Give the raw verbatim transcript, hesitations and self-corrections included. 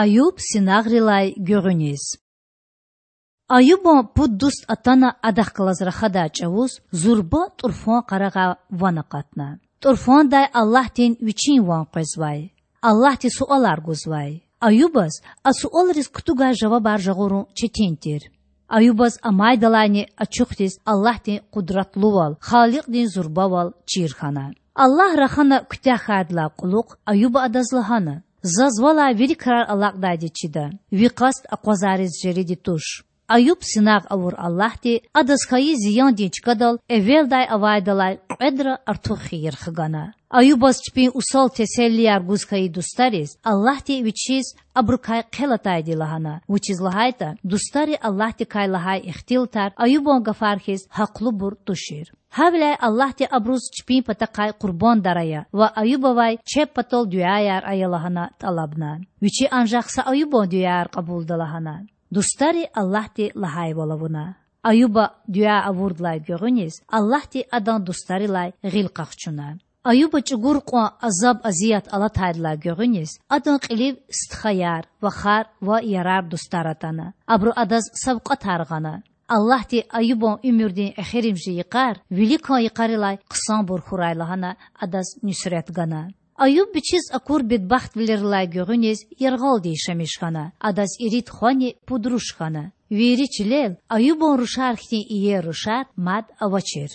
Аюб синагърилай гуьгъуьниз. Аюбан пуд дуст атана адахъ галаз рахадай чІавуз зурба тІурфан къарагъай ван акъатна. ТІурфандай Аллагьдин Вичин ван къвезвай. Аллагьди суалар гузвай. Аюбаз а суалриз кутугай жавабар жагъурун четин тир. Аюбаз амайдалайни ачухдиз Аллагьдин къудратлувал, Халикьдин зурбавал чир хьана. Аллагь рахана куьтягь хьайидалай кьулухъ Аюба Адаз лагьана: Заз Валай вири крар алакьдайди чида. Ви къаст акъвазариз жериди туш. Аюб синагъ авур Аллагьди адаз хьайи зияндин чкадал эвелдай авайдалай кьведра артух хийир хгана. Аюбаз чпин усал теселлияр гуз хьайи дустариз Аллагьди Вичиз абурукай хъел атайди лагьана, вучиз лагьайтІа дустари Аллагьдикай лагьай ихтилатар Аюбан гафар хьиз гьахълубур тушир. Гьавиляй Аллагьди абуруз чпин патахъай къурбандар ая ва Аюбавай чеб патал дуьаяр ая лагьана тІалабна. Вичи анжах са Аюбан дуьаяр кьабулда лагьана. Дустари Аллагьди лагьайвал авуна. Аюба дуьа авурдалай гуьгъуьниз Аллагьди адан дустарилай гъил къахчуна. Аюба чІугур кьван азаб-азият алатайдалай гуьгъуьниз адан кьилив стхаяр, вахар ва ярар-дустар атана. Абуру адаз савкьватар гъана. Аллагьди Аюбан уьмуьрдин эхиримжи йикъар виликан йикъарилай хъсанбур хьурай лагьана адаз нуьсрет гана. Аюб вичиз акур бедбахтвилерилай гуьгъуьниз яргъалди яшамиш хьана, адаз ирид хвани пуд руш хьана. Вири чилел Аюбан рушар хьтин иер рушар мад авачир.